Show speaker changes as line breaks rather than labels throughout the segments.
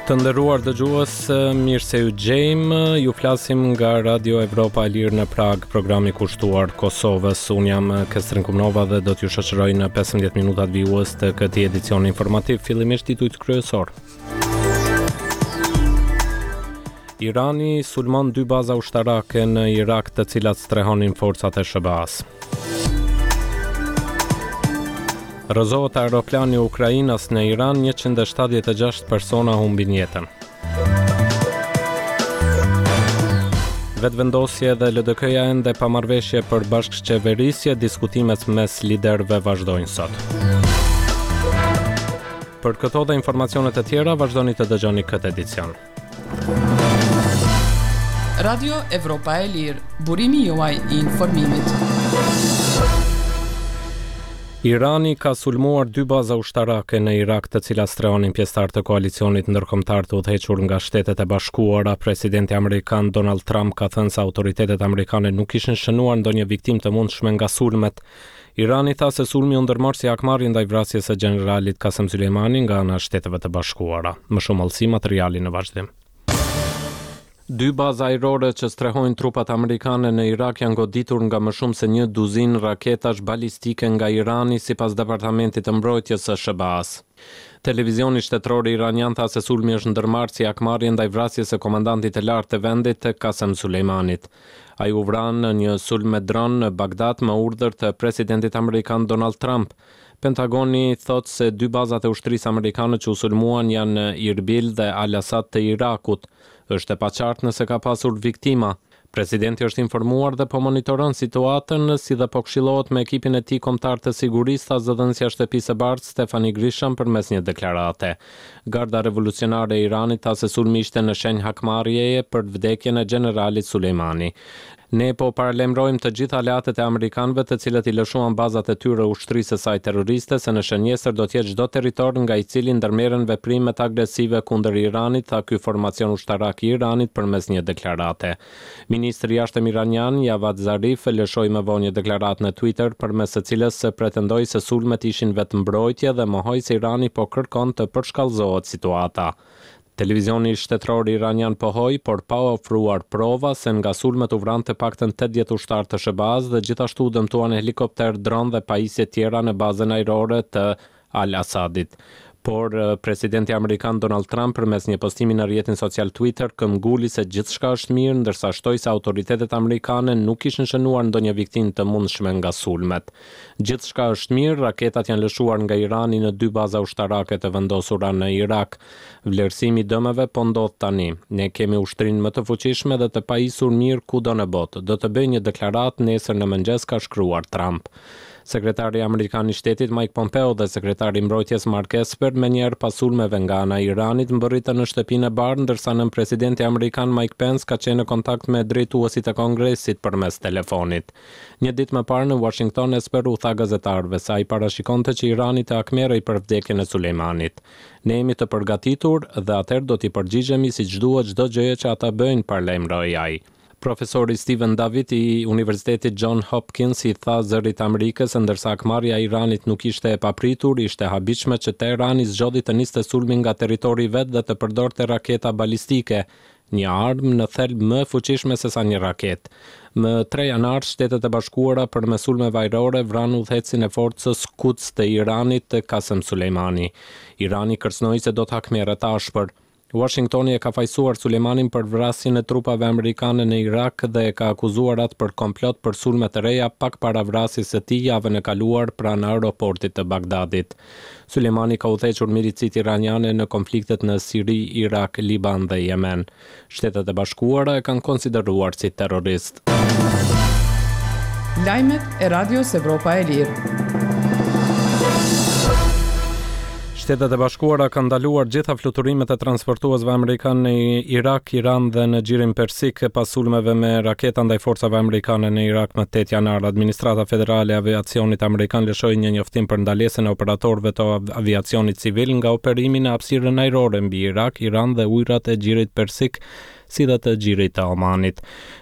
Të nderuar dëgjues, mirë se ju gjejmë. Ju flasim nga Radio Evropa e Lirë në Pragë, programi kushtuar Kosovës. Unë jam Kestrin Kumnova dhe do t'ju shoqëroj në 15 minutat vijues të këtij edicioni informativ. Fillimisht titujt kryesorë. Irani sulmon dy baza ushtarake në Irak të cilat strehonin forcat e SHBA-së. Rrëzohet aeroplani ukrainas në Iran, 176 persona humbin jetën. Vetëvendosje dhe LDK-ja ende pa marrëveshje për bashkëqeverisje, diskutimet mes liderëve vazhdojnë sot. Për këto dhe informacione të tjera, vazhdoni të dëgjoni këtë edicion.
Radio Evropa e Lirë, burimi juaj i informimit.
Irani ka sulmuar dy baza ushtarake në Irak të cilat strehonin pjesëtarë të koalicionit ndërkombëtar të udhëhequr nga Shtetet e Bashkuara. Presidenti amerikan Donald Trump ka thënë se autoritetet amerikane nuk kishin shënuar ndonjë viktimë të mundshme nga sulmet. Irani tha se sulmi u ndërmor si hakmarrje ndaj vrasjes së gjeneralit Kasem Soleimani nga ana e Shteteve të Bashkuara. Më shumë hollësi materiali në vazhdim. Dy baza ajrore që strehojnë trupat amerikane në Irak janë goditur nga më shumë se një duzinë raketash balistike nga Irani, sipas Departamentit të Mbrojtjes së SHBA-së. Televizioni shtetëror iranian tha se sulmi është ndërmarrë si hakmarrje ndaj vrasjes së komandantit të lartë të vendit, Kasem Soleimanit. Ai u vra në një sulm me dron në Bagdad me urdhër të presidentit amerikan Donald Trump. Pentagoni thotë se dy bazat e ushtrisë amerikane që u sulmuan janë në Irbil dhe Al Asad të Irakut. Është e paqartë nëse ka pasur viktima. Presidenti është informuar dhe po monitoron situatën, si dhe po këshillohet me ekipin e tij kombëtar të sigurisë, tha zëdhënësja e Shtëpisë së Bardhë, Stephanie Grisham përmes një deklarate. Garda Revolucionare e Iranit tha se sulmi ishte në shenjë hakmarrjeje për vdekjen e gjeneralit Soleimani. Ne po paralajmërojmë të gjithë aleatët e amerikanëve të cilët i lëshuan bazat e tyre ushtrisë së saj terroriste se në shënjestër do të jetë çdo territor nga i cili ndërmerren veprimet agresive kundër Iranit, tha ky formacion ushtarak i Iranit përmes një deklarate. Ministri i Jashtëm iranian, Javad Zarif, lëshoi më vonë një deklaratë në Twitter, përmes së cilës pretendoi se sulmet ishin vetëmbrojtje dhe mohoi se Irani po kërkon të përshkallëzohet situata. Televizioni shtetëror iranian pohoi, por pa ofruar prova, se nga sulmet u vranë të paktën 80 ushtarë të SHBA-së dhe gjithashtu u dëmtuan helikopterë, dronë dhe pajisje tjera në bazën ajrore të Al-Assadit. Por, presidenti amerikan Donald Trump përmes një postimi në rrjetin social Twitter këmbguli se gjithçka është mirë, ndërsa shtoi se autoritetet amerikane nuk kishin shënuar ndonjë viktimë të mundshme nga sulmet. Gjithçka është mirë, raketat janë lëshuar nga Irani në dy baza ushtarake të vendosura në Irak. Vlerësimi i dëmeve po ndodh tani. Ne kemi ushtrinë më të fuqishme dhe të pajisur mirë kudo në botë. Do të bëj një deklaratë nesër në mëngjes, ka shkruar Trump. Sekretari amerikan i Shtetit Mike Pompeo dhe sekretari i Mbrojtjes Mark Esper menjëherë pas sulmeve nga ana e Iranit mbërritën në Shtëpinë e Bardhë, ndërsa nënpresidenti amerikan Mike Pence ka qenë në kontakt me drejtuesit e Kongresit përmes telefonit. Një ditë më parë në Uashington Esper u tha gazetarëve se ai parashikonte që Irani të hakmerrej për vdekjen e Soleimanit. Ne jemi të përgatitur dhe atëherë do t'i përgjigjemi siç duhet çdo gjëje që ata bëjnë, paralajmëroi ai. Profesori Steven David i Universitetit John Hopkins i tha Zërit të Amerikës se ndërsa hakmarrja e Iranit nuk ishte e papritur, ishte e habitshme që Teherani zgjodhi të niste sulmin nga territori i vet dhe të përdorte raketa balistike, një armë në thelb më e fuqishme sesa një raketë. Më tre janar, Shtetet e Bashkuara përmes sulmeve ajrore vranë udhëheqësin e forcës Quds të Iranit, Qasem Soleimani. Irani kërcënoi se do të hakmerret ashpër. Uashingtoni e ka fajësuar Soleimanin për vrasjen e trupave amerikane në Irak dhe e ka akuzuar atë për komplot për sulme të reja pak para vrasjes së tij javën e kaluar pranë aeroportit të Bagdadit. Soleimani ka udhëhequr milicitë iraniane në konfliktet në Siri, Irak, Liban dhe Jemen. Shtetet e Bashkuara e kanë konsideruar si terrorist.
Lajmet e Radios Evropa e Lirë.
Shtetet e Bashkuara kanë ndaluar gjitha fluturimet e transportuesve amerikanë në Irak, Iran dhe në Gjirin Persik pas sulmeve me raketa ndaj forcave amerikane në Irak më 8 janar. Administrata Federale e Aviacionit Amerikan lëshoi një njoftim për ndalesën e operatorëve të aviacionit civil nga operimi në hapësirën ajrore mbi Irak, Iran dhe ujërat e Gjirit Persik. si dhe të Gjirit të Omanit.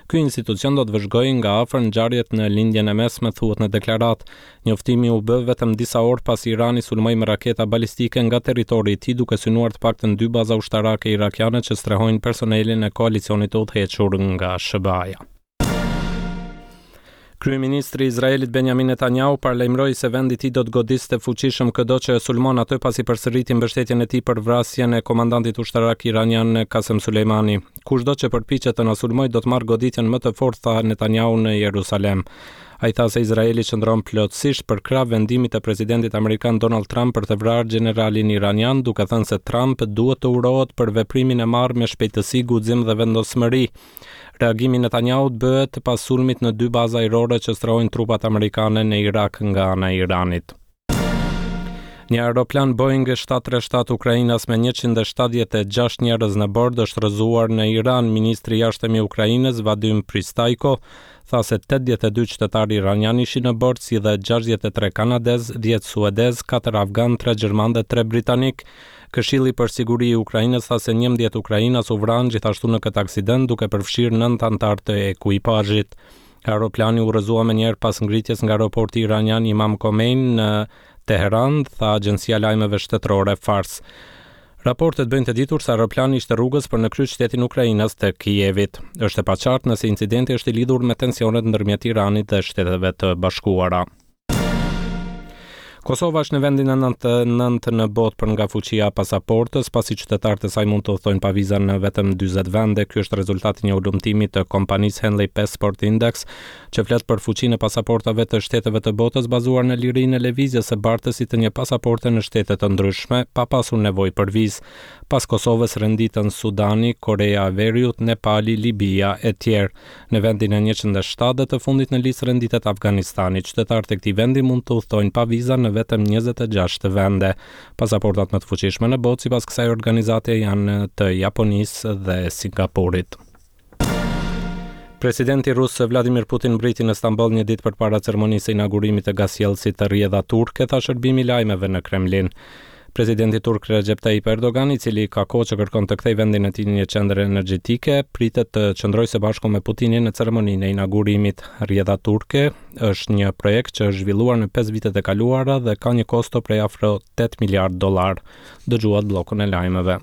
Ky institucion do të vëzhgojë nga afër ngjarjet në Lindjen e Mesme, thuhet në deklaratë. Njoftimi u bë vetëm disa orë pasi Irani sulmoi me raketa balistike nga territori i tij duke synuar të paktën dy baza ushtarake irakiane që strehojnë personelin e koalicionit të udhëhequr nga SHBA-ja. Kryeministri i Izraelit Benjamin Netanyahu paralajmëroi se vendi i tij do të godiste fuqishëm këdo që e sulmon atë pasi përsëriti mbështetjen e tij për vrasjen e komandantit ushtarak iranian Qasem Soleimani. Kushdo që përpiqet të na sulmojë do të marrë goditjen më të fortë, tha Netanyahu në Jerusalem. Ai tha se Izraeli qëndron plotësisht përkrah vendimit të presidentit amerikan Donald Trump për të vrarë gjeneralin iranian, duke thënë se Trump duhet të urohet për veprimin e marrë me shpejtësi, guxim dhe vendosmëri. Reagimi i Netanyahut bëhet pas sulmit në dy baza ajrore që strehojnë trupat amerikane në Irak nga ana e Iranit. Një aeroplan Boeing 737 ukrainas me 176 njerëz në bord është rrëzuar në Iran. Ministri i Jashtëm i Ukrainës, Vadim Pristajko, tha se 82 qytetarë iranianë ishin në bord, si dhe 63 kanadezë, 10 suedezë, 4 afganë, 3 gjermanë dhe 3 britanikë. Këshilli për Siguri i Ukrainës tha se 11 ukrainas u vranë gjithashtu në këtë aksident, duke përfshirë 9 anëtarë të ekuipazhit. Aeroplani u rrëzua menjëherë pas ngritjes nga aeroporti iranian Imam Khomeini në Teheran, tha agjencia e lajmeve shtetërore Fars. Raportet bëjnë të ditur se aeroplani ishte rrugës për në kryeqytetin ukrainas të Kievit. Është e paqartë nëse incidenti është i lidhur me tensionet ndërmjet Iranit dhe Shteteve të Bashkuara. Kosova është në vendin e 99 në botë për nga fuqia e pasaportës, pasi qytetarët e saj mund të udhëtojnë pa viza në vetëm 40 vende. Ky është rezultati i një hulumtimi të kompanisë Henley Passport Index, që flet për fuqinë e pasaportave të shteteve të botës bazuar në lirinë e lëvizjes së bartësit të një pasaporte në shtete të ndryshme, pa pasur nevojë për vizë. Pas Kosovës renditen Sudani, Koreja e Veriut, Nepali, Libia etj. Në vendin e 107 dhe të fundit në listë renditet Afganistani. Qytetarët e këtij vendi mund të udhëtojnë pa viza në vetëm 26 vende. Pasaportat më të fuqishme në botë sipas kësaj organizate janë të Japonisë dhe Singaporit. Presidenti rus Vladimir Putin mbriti në Stamboll një ditë përpara ceremonisë së inaugurimit të gazsjellësit Rrjedha Turke, tha shërbimi i lajmeve në Kremlin. Presidenti turk Recep Tayyip Erdogan, i cili ka kohë që kërkon të kthejë vendin e tij në një qendër energjetike, pritet të qëndrojë së bashku me Putinin në ceremoninë e inaugurimit. Rrjedha Turke është një projekt që është zhvilluar në 5 vitet e kaluara dhe ka një kosto prej afro 8 miliardë dollarë. Dëgjuat bllokun e lajmeve.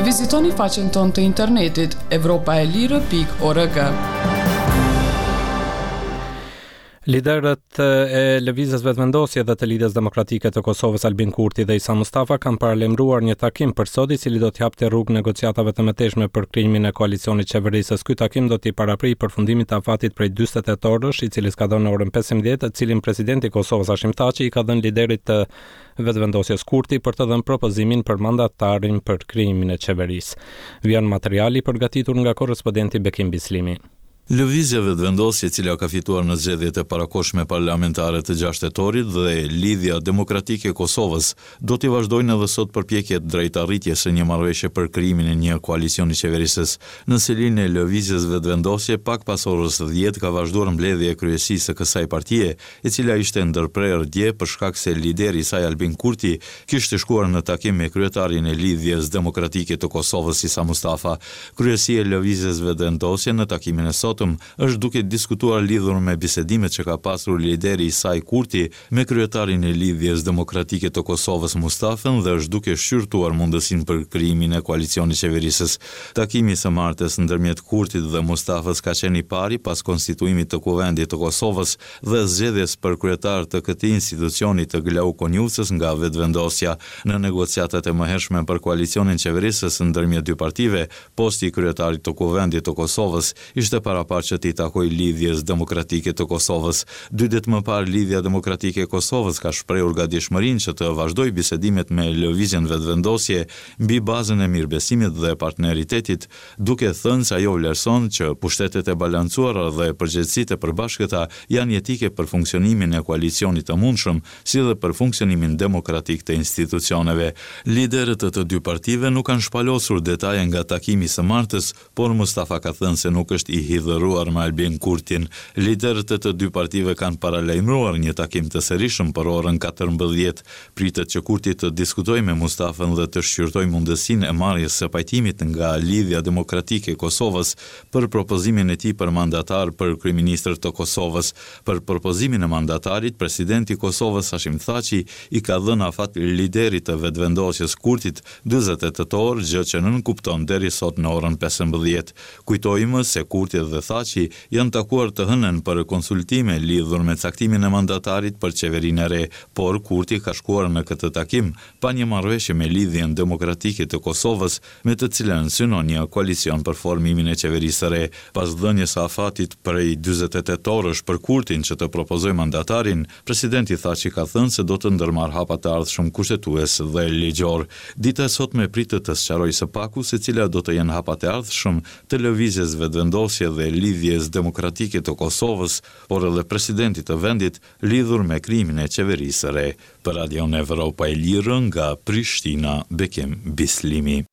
Vizitoni faqen tonë të internetit evropaelire.org.
Liderët e Lëvizjes Vetëvendosje dhe të Lidhjes Demokratike të Kosovës Albin Kurti dhe Isa Mustafa kanë paralajmëruar një takim për sot i cili do t'i hapte rrugë negociatave të mëtejshme për krijimin e koalicionit qeverisës. Ky takim do t'i paraprijë përfundimit të afatit prej 48 orësh, i cili skadon në orën 15, të cilin presidenti i Kosovës Hashim Thaçi i ka dhënë liderit të Vetëvendosjes Kurti për të dhënë propozimin për mandatarin për krijimin e qeverisë. Vjen materiali i përgatitur nga korrespondenti Bekim Bislimi.
Lëvizja Vetëvendosje e cila ka fituar në zgjedhjet e parakohshme parlamentare të gjashtë tetorit dhe Lidhja Demokratike e Kosovës do t'i vazhdojnë edhe sot përpjekjet drejt arritjes së një marrëveshje për krijimin e një koalicioni qeverisës. Në selinë e Lëvizjes Vetëvendosje pak pas orës dhjetë ka vazhduar mbledhja e kryesisë së kësaj partie, e cila ishte ndërprerë dje për shkak se lideri i saj Albin Kurti kishte shkuar në takim me kryetarin e Lidhjes Demokratike të Kosovës Isa Mustafa. Kryesia e Lëvizjes Vetëvendosje në takimin e sotëm është duke diskutuar lidhur me bisedimet që ka pasur lideri i saj Kurti me kryetarin e Lidhjes Demokratike të Kosovës Mustafën dhe është duke shqyrtuar mundësinë për krijimin e koalicionit qeverisës. Takimi i së martës ndërmjet Kurtit dhe Mustafës ka qenë i pari pas konstituimit të Kuvendit të Kosovës dhe zgjedhjes për kryetar të këtij institucioni të Glauk Konjufcës nga Vetëvendosja. Në negociatat e mëhershme për koalicionin qeverisës ndërmjet dy partive, posti i kryetarit të Kuvendit të Kosovës ishte paraparë që t'i takojë Lidhjes Demokratike të Kosovës. Dy ditë më parë Lidhja Demokratike e Kosovës ka shprehur gatishmërinë që të vazhdojë bisedimet me Lëvizjen Vetëvendosje mbi bazën e mirëbesimit dhe partneritetit, duke thënë se ajo vlerëson që pushtetet e balancuara dhe përgjegjësitë e përbashkëta janë jetike për funksionimin e koalicionit të mundshëm, si dhe për funksionimin demokratik të institucioneve. Liderët e të dy partive nuk kanë shpalosur detaje nga takimi i së martës, por Mustafa ka thënë se nuk është i hidhëruar. urdhëruar me Albin Kurtin. Liderët e të dy partive kanë paralajmëruar një takim të serishëm për orën 14. Pritet që Kurti të diskutojë me Mustafën dhe të shqyrtojë mundësinë e marrjes së pajtimit nga Lidhja Demokratike e Kosovës për propozimin e tij për mandatar për kryeministër të Kosovës. Për propozimin e mandatarit, presidenti i Kosovës Hashim Thaçi i ka dhënë afat liderit të Vetëvendosjes Kurtit 48 orë, gjë që nënkupton deri sot në orën 15. Kujtojmë se Kurti dhe Thaçi janë takuar të hënën për konsultime lidhur me caktimin e mandatarit për qeverinë e re, por Kurti ka shkuar në këtë takim pa një marrëveshje me Lidhjen Demokratike të Kosovës, me të cilën synon një koalicion për formimin e qeverisë së re. Pas dhënies së afatit prej 48 orësh për Kurtin që të propozojë mandatarin, presidenti Thaçi ka thënë se do të ndërmarrë hapa të ardhshëm kushtetues dhe ligjor. Dita e sotme pritet të sqarojë së paku se cilat do të jenë hapat e ardhshëm të Lëvizjes Vetëvendosje dhe Lidhjes Demokratike të Kosovës, por edhe presidentit të vendit, lidhur me krijimin e qeverisë së re. Për Radion Evropa e Lirë nga Prishtina, Bekim Bislimi.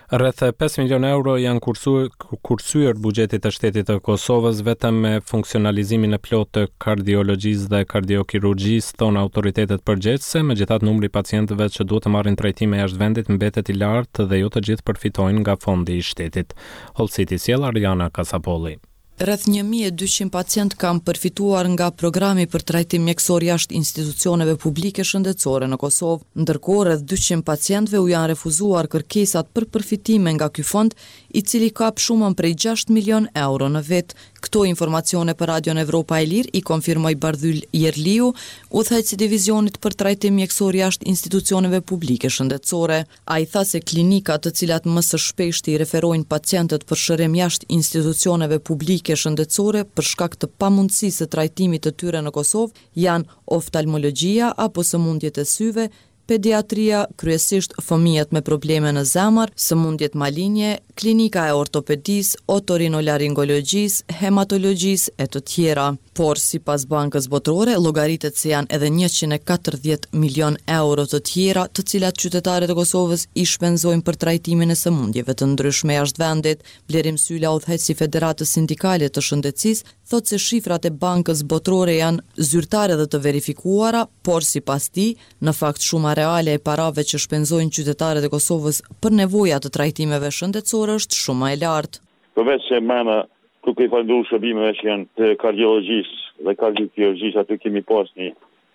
Rreth 5 milionë euro janë kursyer buxhetit të shtetit të Kosovës vetëm me funksionalizimin e plotë të kardiologjisë dhe kardiokirurgjisë, thonë autoritetet përgjegjëse, megjithatë numri i pacientëve që duhet të marrin trajtime jashtë vendit mbetet i lartë dhe jo të gjithë përfitojnë nga fondi i shtetit. Hollësitë i sjell Ariana Kasapolli.
Rreth 1200 pacientë kanë përfituar nga programi për trajtim mjekësor jashtë institucioneve publike shëndetësore në Kosovë. Ndërkohë, rreth 200 pacientëve u janë refuzuar kërkesat për përfitime nga ky fond, i cili kap shumën prej 6 milion euro në vit. Këto informacione për Radion Evropa e Lirë i konfirmoi Bardhyl Jerliu, udhëheqës i divizionit për trajtim mjekësor jashtë institucioneve publike shëndetësore. Ai tha se klinikat të cilat më së shpeshti i referojnë pacientët për shërim jashtë institucioneve publike shëndetësore për shkak të pamundësisë së trajtimit të tyre në Kosovë janë oftalmologjia apo sëmundjet e syve, pediatria, kryesisht fëmijët me probleme në zemër, sëmundjet malinje, klinika e ortopedisë, otorinolaringologjisë, hematologjisë e të tjera. Por, sipas Bankës Botërore, llogaritet se janë edhe 140 milionë euro të tjera, të cilat qytetarët e Kosovës i shpenzojnë për trajtimin e sëmundjeve të ndryshme jashtë vendit. Blerim Syla, udhëheqës i Federatës Sindikale të Shëndetësisë, thotë se shifrat e Bankës Botërore janë zyrtare dhe të verifikuara, por sipas tij, në fakt shuma reale e parave që shpenzojnë qytetarët e Kosovës për nevoja të trajtimeve shëndetësore është shumë më e lartë.
Përveç se mrena duke i falënderu shërbimeve që janë të kardiologjisë dhe kardiokirurgjisë, aty kemi pas një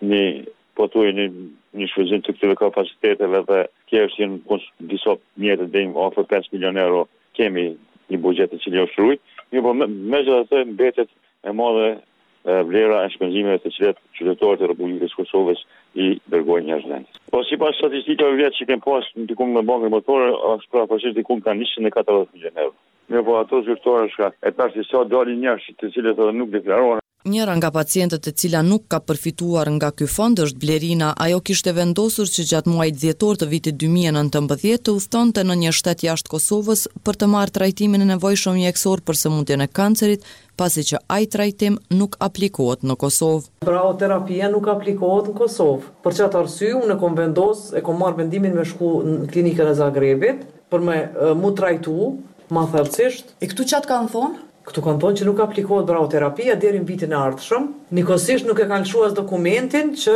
një pothuaj një një shfrytëzim të këtyre kapaciteteve dhe thjesht janë disa mjete deri afër 5 milion euro kemi një buxhet i cili është rujt, mirëpo megjithatë mbetet e madhe vlera e shpenzimeve të cilat qytetarët e Republikës së Kosovës i dërgojnë jashtë vendit. Po sipas statistikave vjet që kem pas diku me Bankën Botërore është përafërsisht diku ka 140 milion euro. Mirëpo ato zyrtare shka e tash sa dalin jashtë të cilët edhe nuk deklarohen.
Njëra nga pacientët e cila nuk ka përfituar nga ky fond është Blerina. Ajo kishte vendosur që gjatë muajit dhjetor të vitit 2019 të udhëtonte në një shtet jashtë Kosovës për të marrë trajtimin e nevojshëm mjekësor për sëmundjen e kancerit, pasi që ai trajtim nuk aplikohet në Kosovë.
Brauterapia nuk aplikohet në Kosovë. Për qatë arsye unë e kom vendos, e kom marrë vendimin me shku në klinikën e Zagrebit për me mu trajtu ma thellësisht.
E këtu ça të kanë thonë?
Këtu kanë thonë që nuk aplikohet brauterapia deri në vitin e ardhshëm. Njëkohësisht nuk e kanë lëshu as dokumentin që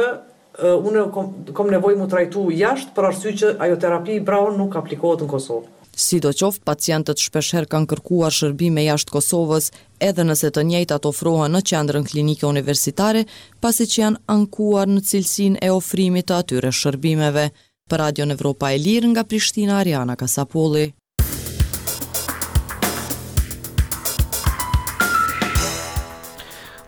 unë kom, kom nevojë mu trajtu jashtë për arsye që ajo terapi brau nuk aplikohet në Kosovë.
Sidoqoftë, pacientët shpeshherë kanë kërkuar shërbime jashtë Kosovës, edhe nëse të njëjtat ofrohen në qendrën klinike universitare, pasi që janë ankuar në cilësinë e ofrimit të atyre shërbimeve. Për Radion Evropa e Lirë nga Prishtina, Ariana Kasapolli.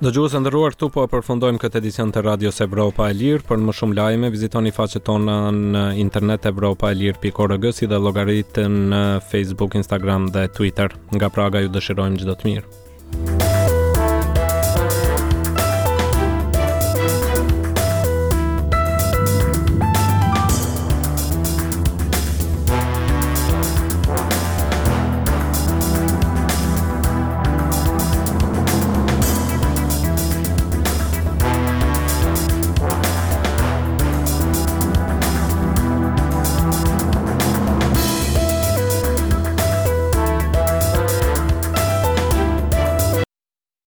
Dëgjues të nderuar, këtu po e përfundojmë këtë edicion të Radios Evropa e Lirë. Për më shumë lajme, vizitoni faqet tona në internet evropaelire.org si dhe llogaritë në Facebook, Instagram dhe Twitter. Nga Praga ju dëshirojmë çdo të mirë.